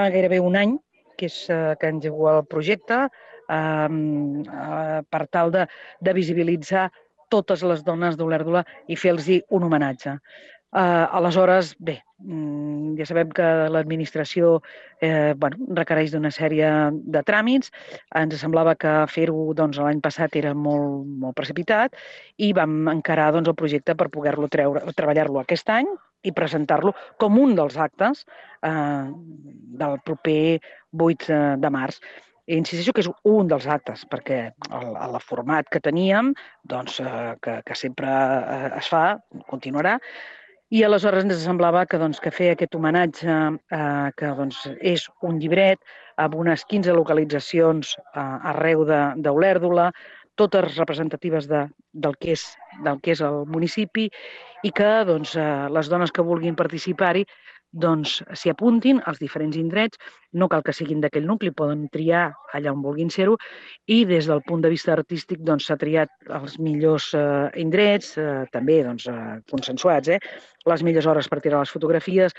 gairebé un any que engego el projecte per tal de visibilitzar totes les dones d'Olèrdola i fer-los un homenatge. Aleshores, bé, ja sabem que l'administració requereix d'una sèrie de tràmits. Ens semblava que fer-ho l'any passat era molt, molt precipitat i vam encarar el projecte per poder-lo treballar-lo aquest any i presentar-lo com un dels actes del proper 8 de març. Insisteixo que és un dels actes, perquè el format que teníem, que sempre es fa, continuarà, i aleshores ens semblava que fer aquest homenatge, que és un llibret amb unes 15 localitzacions arreu d'Olèrdola, totes representatives del que és el municipi, i que les dones que vulguin participar-hi s'hi apuntin als diferents indrets, no cal que siguin d'aquell nucli, poden triar allà on vulguin ser-ho, i des del punt de vista artístic s'ha triat els millors indrets, també consensuats, les millors hores per tirar les fotografies,